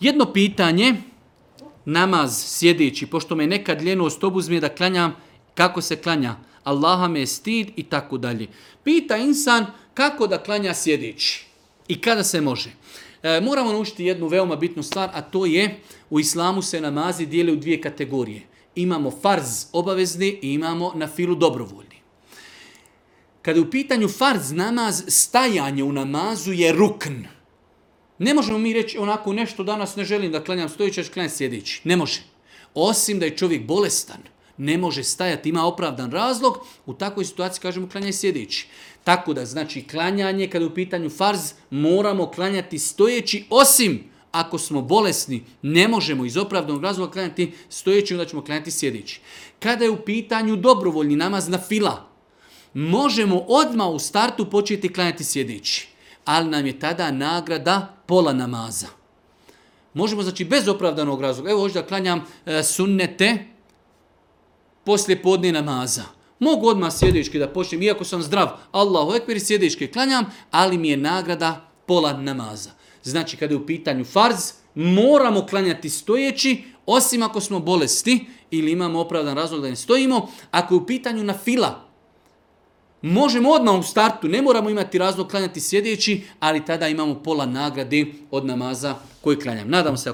Jedno pitanje, namaz sjedeći, pošto me nekad ljenost obuzme da klanjam, kako se klanja? Allaha me je stid i tako dalje. Pita insan kako da klanja sjedeći i kada se može. Moramo naučiti jednu veoma bitnu stvar, a to je u islamu se namazi dijele u dvije kategorije. Imamo farz obavezni i imamo na filu dobrovoljni. Kada je u pitanju farz namaz, stajanje u namazu je rukn. Ne možemo mi reći onako nešto danas ne želim da klanjam stojeći, a klanjam sjedeći. Ne može. Osim da je čovjek bolestan, ne može stajati, ima opravdan razlog, u takvoj situaciji kažemo klanjaj sjedeći. Tako da znači klanjanje, kada je u pitanju farz, moramo klanjati stojeći, osim ako smo bolesni, ne možemo iz opravdanog razloga klanjati stojeći, onda ćemo klanjati sjedeći. Kada je u pitanju dobrovoljni namaz na fila, možemo odmah u startu početi klanjati sjedeći, ali nam je tada nagrada pola namaza. Možemo znači bez opravdanog razloga, evo hoću da klanjam sunnete poslije podne namaza. Mogu odmah sjedički da počnem, iako sam zdrav, Allahu ekber, sjedički klanjam, ali mi je nagrada pola namaza. Znači, kada je u pitanju farz, moramo klanjati stojeći, osim ako smo bolesti ili imamo opravdan razlog da ne stojimo. Ako je u pitanju na fila, možemo odmah u startu, ne moramo imati razlog klanjati sjedeći, ali tada imamo pola nagrade od namaza koji klanjam. Nadam se ako